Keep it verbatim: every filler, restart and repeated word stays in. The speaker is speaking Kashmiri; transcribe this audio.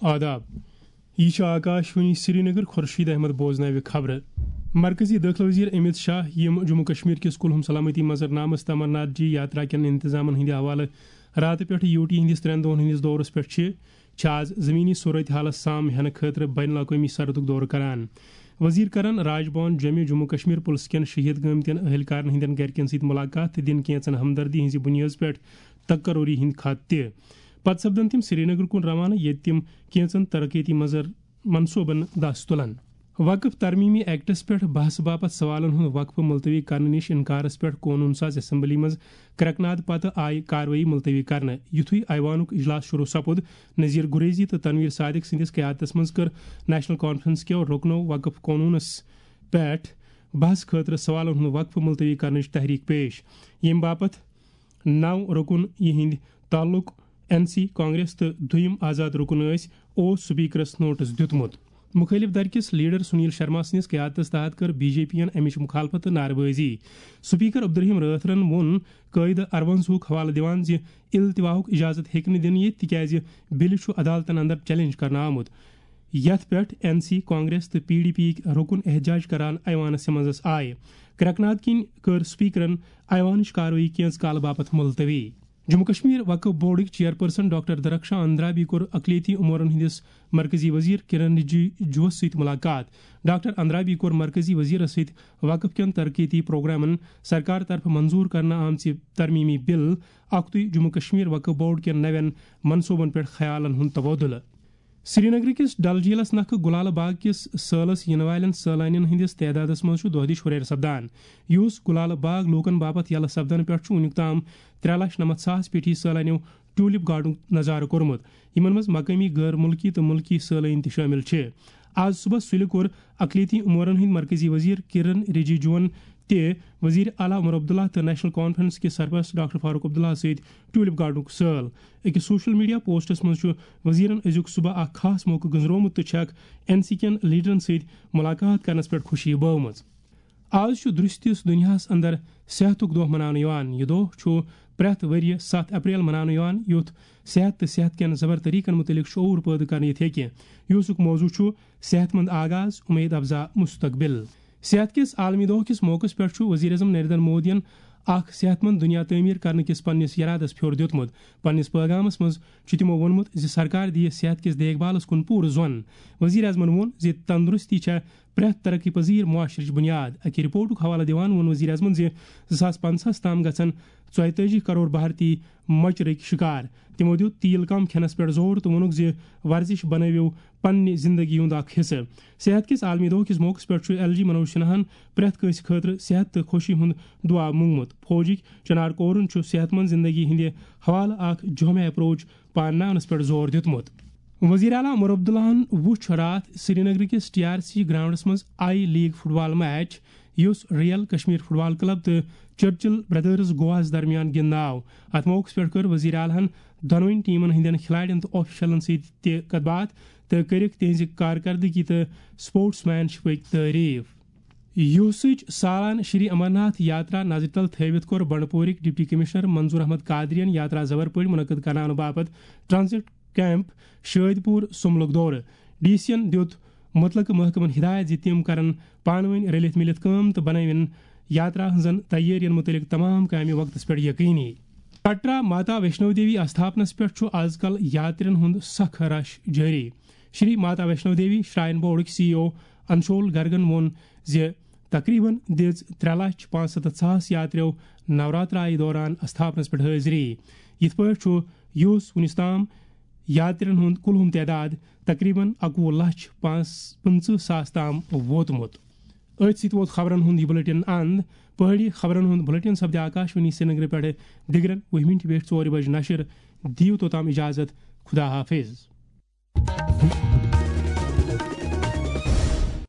آداب۔ یہِ چھُ آکاشوانی سرینگر۔ خورشید احمد بوزناوِ خبرٕ۔ مرکزی دٲخلہٕ وزیر امیت شاہ، یِم جموں کشمیر کِس کُلہُم سلامتی منظرنامس تہٕ امرناتھ جی یاترا کٮ۪ن انتظامن ہٕنٛدِ حوالہٕ راتہٕ پٮ۪ٹھٕ یوٹی ہٕنٛدِس ترٛٮ۪ن دۄہن ہٕنٛدِس دورس پٮ۪ٹھ چھِ، چھِ آز زمینی صورتحالس سام ہینہٕ خٲطرٕ بین الاقوٲمی سرحدُک دورٕ کران۔ وزیر کرن راج بھون جوٚمہِ جموں کشمیر پُلسہٕ کٮ۪ن شہید گٲمتٮ۪ن اہلکارن ہٕنٛدٮ۪ن گرِکٮ۪ن سۭتۍ ملاقات تہٕ دِن کینژن ہمدردی ہٕنٛزِ بُنیٲدٕ پٮ۪ٹھ تقرری ہٕنٛدۍ خط تہِ۔ پتہٕ سپدن تِم سرینگرٕ کُن روانہٕ، ییٚتہِ تِم کینژن ترقیتی مظر-، منصوبن دس تُلن۔ وقف ترمیمی ایکٹس پٮ۪ٹھ بحث باپتھ سوالن ہُنٛد وقفہٕ ملتوی کرنہٕ نِش انکارس پٮ۪ٹھ قونوٗن ساز اسمبلی منٛز کرکناد پتہٕ آیہِ کاروٲیی ملتوی کرنہٕ۔ یُتھُے ایوانُک اجلاس شروع سپُد، نذیر گریزی تہٕ تنویر صادق سٕنٛدِس قیادتس منٛز کٔر نیشنل کانفرنس کیو رُکنو وقف قونوٗنس پٮ۪ٹھ بحث خٲطرٕ سوالن ہُنٛد وقفہٕ ملتوی کرنٕچ تحریک پیش، ییٚمہِ باپتھ نو رُکُن یِہنٛدۍ تعلق این سی کانگریس تہٕ دوٚیِم آزاد رُکُن ٲسۍ، اوس سپیکرس نوٹس دیُتمُت۔ مُخٲلِف دھرٕ کِس لیڈر سنیل شرما سٕنٛدِس قیادتس تحت کٔر بی جے پی یَن اَمِچ مخالفت تہٕ نعرٕ بٲزی۔ سپیکر عبدالرحیم رٲتھرَن ووٚن قٲعدٕ اَروَنزاہُک حوالہٕ دِوان زِ التواہُک اجازت ہیٚکہِ نہٕ دِنہٕ یِتھ، تِکیازِ بِلہِ چھُ عدالتن اندر چیلنج کرنہٕ آمُت، یَتھ پٮ۪ٹھ این سی کانگریس تہٕ پی ڈی پی یِکۍ رُکُن احتجاج کران ایوانس منٛز آے۔ کرکناد کِنۍ کٔر سپیکرن ایوانٕچ کاروٲیی کینٛژ کالہٕ باپتھ ملتوی۔ جموں کشمیر وقف بورڈٕکۍ چیئرپرسن ڈاکٹر درخشاں اندرابی کوٚر اقلیتی امورن ہٕنٛدِس مرکزی وزیر کرن رجیجوس سۭتۍ ملاقات۔ ڈاکٹر اندرابی کوٚر مرکزی وزیرس سۭتۍ وقف کٮ۪ن ترقیتی پروگرامن، سرکار طرفہٕ منظور کرنہٕ آمژِ ترمیمی بل اکتُے، جموں کشمیر وقف بورڈ کٮ۪ن نوٮ۪ن منصوبن پٮ۪ٹھ خیالن ہُنٛد تبادلہٕ۔ سرینگر کِس ڈل جھیلس نکھٕ گلالہٕ باغ کِس سٲلس یِنہٕ والٮ۪ن سٲلانٮ۪ن ہٕنٛدِس تعدادس منٛز چھُ دۄہ دِش ہُرٮ۪ر سپدان۔ یُس گلالہٕ باغ لوٗکن باپتھ یلہٕ سپدنہٕ پٮ۪ٹھ چھُ وُنیُک تام ترٛےٚ لچھ نَمَتھ ساس پیٹھی سٲلانیو ٹیولپ گارڈنُک نظارٕ کوٚرمُت، یِمن منٛز مقٲمی، غٲر مُلکی تہٕ مُلکی سٲلٲنۍ تہِ شٲمِل چھِ۔ آز صُبحس سُلہِ کوٚر اقلیتی امورن ہٕنٛدۍ مرکزی وزیر کرن رجیجوَن تہِ وزیر اعلیٰ عمر عبداللہ تہٕ نیشنل کانفرنس کِس سرپرست ڈاکٹر فاروق عبداللہ سۭتۍ ٹیولپ گارڈنُک سٲل۔ أکِس سوشل میڈیا پوسٹس منٛز چھُ وزیرن أزیُک صبح اکھ خاص موقعہٕ گٔنٛزرومُت تہٕ چھکھ این سی کٮ۪ن لیڈرن سۭتۍ ملاقات کرنس پٮ۪ٹھ خوشی بٲومٕژ۔ آز چھُ درستِس دُنیاہَس اندر صحتُک دۄہ مناونہٕ یِوان۔ یہِ دۄہ چھُ پرٛٮ۪تھ ؤرۍ یہِ ستھ اپریل مناونہٕ یِوان، یُتھ صحت تہٕ صحت کٮ۪ن زبر طریقن مُتعلق شعوٗر پٲدٕ کرنہٕ یِتھ ہیٚکہِ، یُسُک موضوع چھُ صحت مند آغاز، اُمید افزا مستقبل۔ صحت کِس عالمی دۄہ کِس موقعس پٮ۪ٹھ چھُ وزیر اعظم نریندر مودیَن اکھ صحت مند دُنیا تعمیٖر کرنہٕ کِس پننِس یرادس پھیوٚر دیُتمُت۔ پننِس پٲغامس منٛز چھُ تِمو ووٚنمُت زِ سرکار دِیہِ صحت کِس دیکھ بھالس کُن پوٗرٕ زۄن۔ وزیر اعظمن ووٚن زِ تندرستی چھےٚ پرٛٮ۪تھ ترقی پذیر معاشرٕچ بُنیاد۔ اکہِ رپورٹُک حوالہٕ دِوان ووٚن وزیر اعظمن زِ زٕ ساس پنٛژاہَس تام گژھن ژۄیتٲجی کرور بھارتی مۄچرٕکۍ شکار۔ تِمو دیُت تیٖل کم کھٮ۪نس پٮ۪ٹھ زور تہٕ ووٚنُکھ زِ ورزش بنٲوِو پننہِ زندگی ہُنٛد اکھ حصہٕ۔ صحت کِس عالمی دۄہ کِس موقعس پٮ۪ٹھ چھُ ایل جی منوج سنہاہن پرٛٮ۪تھ کٲنٛسہِ خٲطرٕ صحت تہٕ خوشی ہُنٛد دُعا مونگمُت۔ فوجٕکۍ چنار کورن چھُ صحت مند زندگی ہٕنٛدِ حوالہٕ اکھ جامع اپروچ پانناونس پٮ۪ٹھ زور دیُتمُت۔ وزیر اعلیٰ عمر عبداللہن وُچھ راتھ سرینگر کِس ٹی آر سی گراؤنڈس منٛز I league football match, یُس real Kashmir football club تہٕ چرچل بردرز گواہس درمیان گِنٛدنہٕ آو۔ اتھ موقعس پٮ۪ٹھ کٔر وزیر اعلیٰ ہن دۄنوٕنی ٹیمن ہٕنٛدٮ۪ن کھلاڑٮ۪ن تہٕ آفیشلن سۭتۍ تہِ کتھ باتھ تہٕ کٔرٕکھ تِہنٛزِ کارکردگی تہٕ سپورٹس مین شپٕکۍ تعریف۔ یوسٕچ سالانہٕ شری امرناتھ یاترا نظرِ تل تھٲوِتھ کوٚر بنڈپورٕکۍ ڈپٹی کمشنر منظور احمد قادرین یاترا زبر پٲٹھۍ منعقد کرناونہٕ باپتھ ٹرانزٹ کیمپ شٲدۍ پوٗر سُملُک دورٕ۔ ڈی سی ین دیُت مُتلقہٕ محکمن ہدایت زِ تِم کرن پانہٕ ؤنۍ رٔلِتھ مِلِتھ کٲم تہٕ بنٲوِن یاترا ہٕنٛزن تیٲرین مُتعلق تمام کامہِ وقتس پٮ۪ٹھ یقینی۔ کٹرا ماتا ویشنو دیوی آستھاپنس پٮ۪ٹھ چھُ از کل یاترین ہُنٛد سخ رش جٲری۔ شری ماتا ویشنو دیوی شراین بورڈٕکۍ سی ای او انشول گرگن ووٚن زِ تقریباً دِژ ترٛےٚ لچھ پانٛژھ ستتھ ساس یاتریو نوراترایہِ دوران استھاپنس پٮ۪ٹھ حٲضری۔ یِتھ پٲٹھۍ چھُ یُس وُنِس تام یاترین ہُنٛد کُلہُم تعداد تقریباً اَکوُہ لچھ پانٛژھ پٕنٛژٕہ ساس تام ووتمُت۔ أتھۍ سۭتۍ ووت خبرن ہُنٛد یہِ بُلٹن اند۔ پہٲڑی خبرن ہُنٛد بُلٹن سپدِ آکاشوانی سرینگرٕ پٮ۪ٹھٕ دِگرن وُہہِ مِنٹہِ پٮ۪ٹھ ژورِ بجہِ نشر۔ دِیِو توٚتام اجازت۔ خدا حافظ۔